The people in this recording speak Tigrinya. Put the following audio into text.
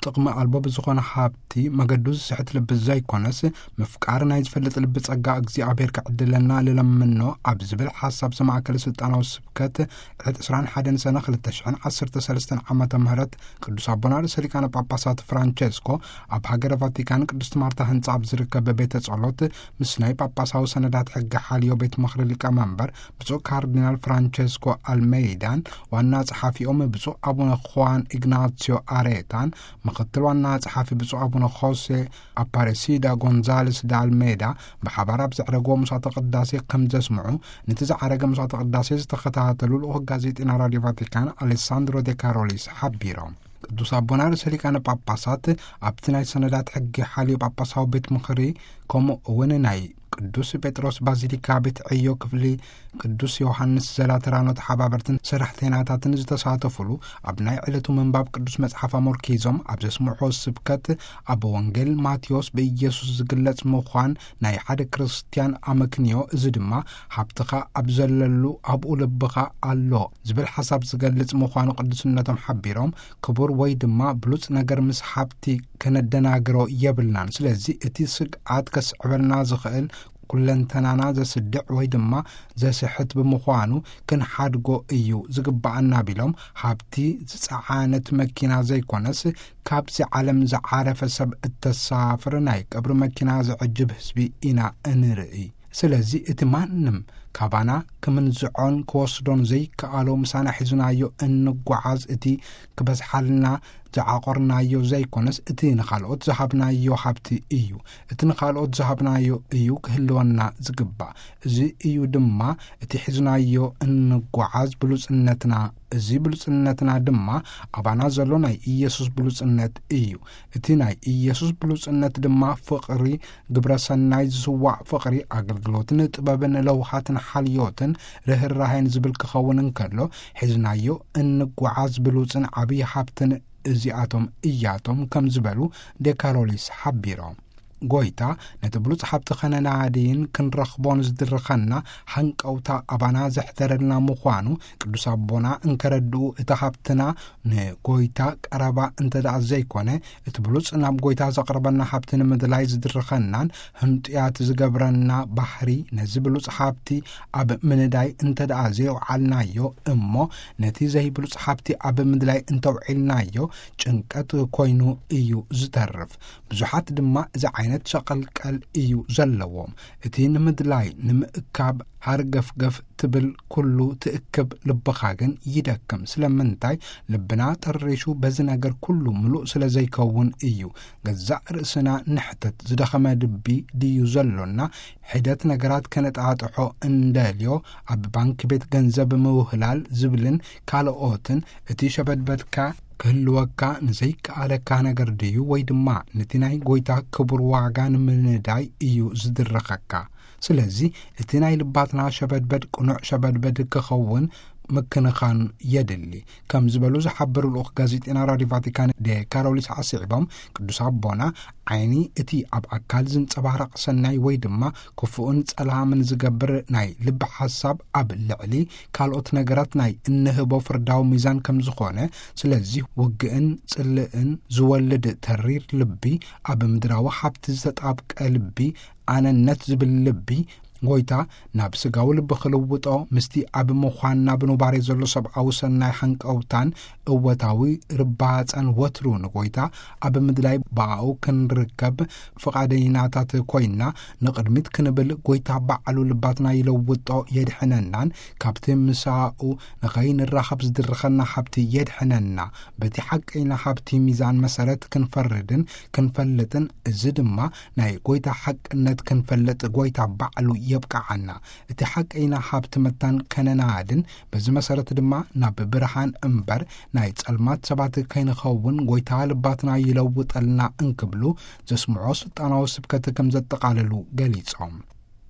ጥቕሚ ኣልቦ ብዝኾነ ሃብቲ መገዱ ዝስሕት ልቢ ዘይኮነስ፣ ምፍቃር ናይ ዝፈልጥ ልቢ ጸጋ እግዚኣብሔር ክዕድለና ልለምኖ ኣብ ዝብል ሓሳብ ዝማእከለ ስልጣናዊ ስብከት ዕለት ዕስራን ሓደን ሰነ ክልተ ሽሕን ዓሰርተ ሰለስተን ዓመተ ምህረት ቅዱስ ኣቦና ርእሰ ሊቃነ ጳጳሳት ፍራንቸስኮ ኣብ ሃገረ ቫቲካን ቅድስት ማርታ ህንጻ ኣብ ዝርከብ ቤተ ጸሎት ምስ ናይ ጳጳሳዊ ሰነዳት ሕጊ ሓልዮ ቤት ምኽሪ ሊቀመንበር ብፁዕ ካርዲናል ፍራንቸስኮ ኣልሜይዳን ዋና ጸሓፊኦም ብፁዕ ኣቡነ ኹዋን ኢግናሲዮ ኣሬታን ምኽትል ዋና ጸሓፊ ብፁዕ ኣቡነ ኾሴ ኣፓሬሲዳ ጎንዛልስ ዳልሜዳ ብሓባር ኣብ ዘዕረግዎ መስዋዕተ ቅዳሴ ከም ዘስምዑ፣ ነቲ ዝዓረገ መስዋዕተ ቅዳሴ ዝተኸታተሉ ልኡኽ ጋዜጠኛ ራድዮ ቫቲካን ኣሌሳንድሮ ዴ ካሮሊስ ሓቢሮም። ቅዱስ ኣቦና ርእሰ ሊቃነ ጳጳሳት ኣብቲ ናይ ሰነዳት ሕጊ ሓልዮ ጳጳሳዊ ቤት ምኽሪ፣ ከምኡ እውን ናይ ቅዱስ ጴጥሮስ ባዚሊካ ቤት ዕዮ ክፍሊ ቅዱስ ዮሃንስ ዘላተራኖ ተሓባበርትን ሰራሕተኛታትን ዝተሳተፉሉ ኣብ ናይ ዕለቱ ምንባብ ቅዱስ መጽሓፍ ኣመርኪዞም ኣብ ዘስምዑ ስብከት፣ ኣብ ወንጌል ማቴዎስ ብኢየሱስ ዝግለጽ ምዃን ናይ ሓደ ክርስትያን ኣመክንዮ፣ እዚ ድማ ሃብትኻ ኣብ ዘለሉ ኣብኡ ልብኻ ኣሎ ዝብል ሓሳብ ዝገልጽ ምዃኑ ቅዱስነቶም ሓቢሮም፣ ክቡር ወይ ድማ ብሉጽ ነገር ምስ ሃብቲ ከነደናግሮ የብልናን። ስለዚ እቲ ስግኣት ከስዕበልና ዝኽእል ኩለንተናና ዘስድዕ ወይ ድማ ዘስሕት ብምዃኑ ክንሓድጎ እዩ ዝግባኣና ቢሎም፣ ሃብቲ ዝጸዓነት መኪና ዘይኮነስ ካብዚ ዓለም ዝዓረፈ ሰብ እተሳፍር ናይ ቀብሪ መኪና ዝዕጅብ ህዝቢ ኢና እንርኢ። ስለዚ እቲ ማንም ካባና ክምንዝዖን ክወስዶን ዘይከኣሎ ምሳና ሒዝናዮ እንጓዓዝ እቲ ክበዝሓልና ዝዓቆርናዮ ዘይኮነስ እቲ ንኻልኦት ዝሃብናዮ ሃብቲ እዩ። እቲ ንኻልኦት ዝሃብናዮ እዩ ክህልወና ዝግባእ። እዚ እዩ ድማ እቲ ሒዝናዮ እንጓዓዝ ብሉጽነትና። እዚ ብሉጽነትና ድማ ኣባና ዘሎ ናይ ኢየሱስ ብሉጽነት እዩ። እቲ ናይ ኢየሱስ ብሉጽነት ድማ ፍቕሪ፣ ግብረ ሰናይ ዝስዋዕ ፍቕሪ፣ ኣገልግሎትን ጥበብን ለውሃትን ሓልዮትን ርህራሄን ዝብል ክኸውን እንከሎ፣ ሒዝናዮ እንጓዓዝ ብሉጽን ዓብዪ ሃብትን እዚኣቶም እያቶም ከም ዝበሉ ዴካሮሊስ ሓቢሮም። ጎይታ ነቲ ብሉጽ ሃብቲ ከነናድይን ክንረኽቦን ዝድርኸና ሃንቀውታ ኣባና ዘሕደረልና ምዃኑ ቅዱስ ኣቦና እንከረድኡ፣ እቲ ሃብትና ንጎይታ ቀረባ እንተ ደኣ ዘይኮነ፣ እቲ ብሉጽ ናብ ጎይታ ዘቕርበና ሃብቲ ንምድላይ ዝድርኸናን ህንጡያት ዝገብረና ባህሪ፣ ነዚ ብሉጽ ሃብቲ ኣብ ምንዳይ እንተ ደኣ ዘይውዓልናዮ እሞ፣ ነቲ ዘይብሉጽ ሃብቲ ኣብ ምድላይ እንተውዒልናዮ፣ ጭንቀት ኮይኑ እዩ ዝተርፍ። ብዙሓት ድማ እዚ ዓይነት ሸቐልቀል እዩ ዘለዎም። እቲ ንምድላይ፣ ንምእካብ፣ ሃርገፍገፍ ትብል ኩሉ ትእክብ፣ ልብኻ ግን ይደክም። ስለምንታይ? ልብና ጠሪሹ በዚ ነገር ኩሉ ምሉእ ስለ ዘይከውን እዩ። ገዛእ ርእስና ንሕተት፣ ዝደኸመ ልቢ ድዩ ዘሎና? ሒደት ነገራት ከነጣጥሖ እንደልዮ፣ ኣብ ባንክ ቤት ገንዘብ ምውህላል ዝብልን ካልኦትን፣ እቲ ሸበድበድካ ክህልወካ ንዘይከኣለካ ነገር ድዩ፣ ወይ ድማ ነቲ ናይ ጎይታ ክቡር ዋጋ ንምንዳይ እዩ ዝድርኸካ? ስለዚ እቲ ናይ ልባትና ሸበድበድ ቅኑዕ ሸበድበድ ክኸውን ምክንኻን የድሊ፣ ከም ዝበሉ ዝሓበሩ ልኡኽ ጋዜጠና ራድዮ ቫቲካን ዴ ካሮሊስ ዓሲዕቦም፣ ቅዱስ ኣቦና ዓይኒ እቲ ኣብ ኣካል ዝንጸባረቕ ሰናይ ወይ ድማ ክፉእን ጸላምን ዝገብር ናይ ልቢ ሓሳብ ኣብ ልዕሊ ካልኦት ነገራት ናይ እንህቦ ፍርዳዊ ሚዛን ከም ዝኾነ፣ ስለዚ ውግእን ጽልእን ዝወልድ ተሪር ልቢ፣ ኣብ ምድራዊ ሃብቲ ዝተጣብቀ ልቢ፣ ኣነነት ዝብል ልቢ፣ ጎይታ ናብ ስጋዊ ልቢ ክልውጦ፣ ምስቲ ኣብ ምዃንና ብኑባሬ ዘሎ ሰብኣዊ ሰናይ ሃንቀውታን እወታዊ ርባጸን ወትሩ ንጎይታ ኣብ ምድላይ ብኣኡ ክንርከብ ፍቓደይናታት ኮይንና ንቕድሚት ክንብል፣ ጎይታ ባዕሉ ልባትና ይለውጦ፣ የድሕነናን ካብቲ ምሳኡ ንኸይንራኸብ ዝድርኸና ሃብቲ የድሕነና። በቲ ሓቀይና ሃብቲ ሚዛን መሰረት ክንፈርድን ክንፈልጥን፣ እዚ ድማ ናይ ጎይታ ሓቅነት ክንፈልጥ ጎይታ ባዕሉ የብቅዓና። እቲ ሓቀይና ሃብቲ መታን ከነናድን፣ በዚ መሰረት ድማ ናብ ብርሃን እምበር ናይ ጸልማት ሰባት ከይንኸውን ጎይታ ልባትና ይለውጠልና እንክብሉ ዘስምዖ ስልጣናዊ ስብከት ከም ዘጠቓለሉ ገሊጾም።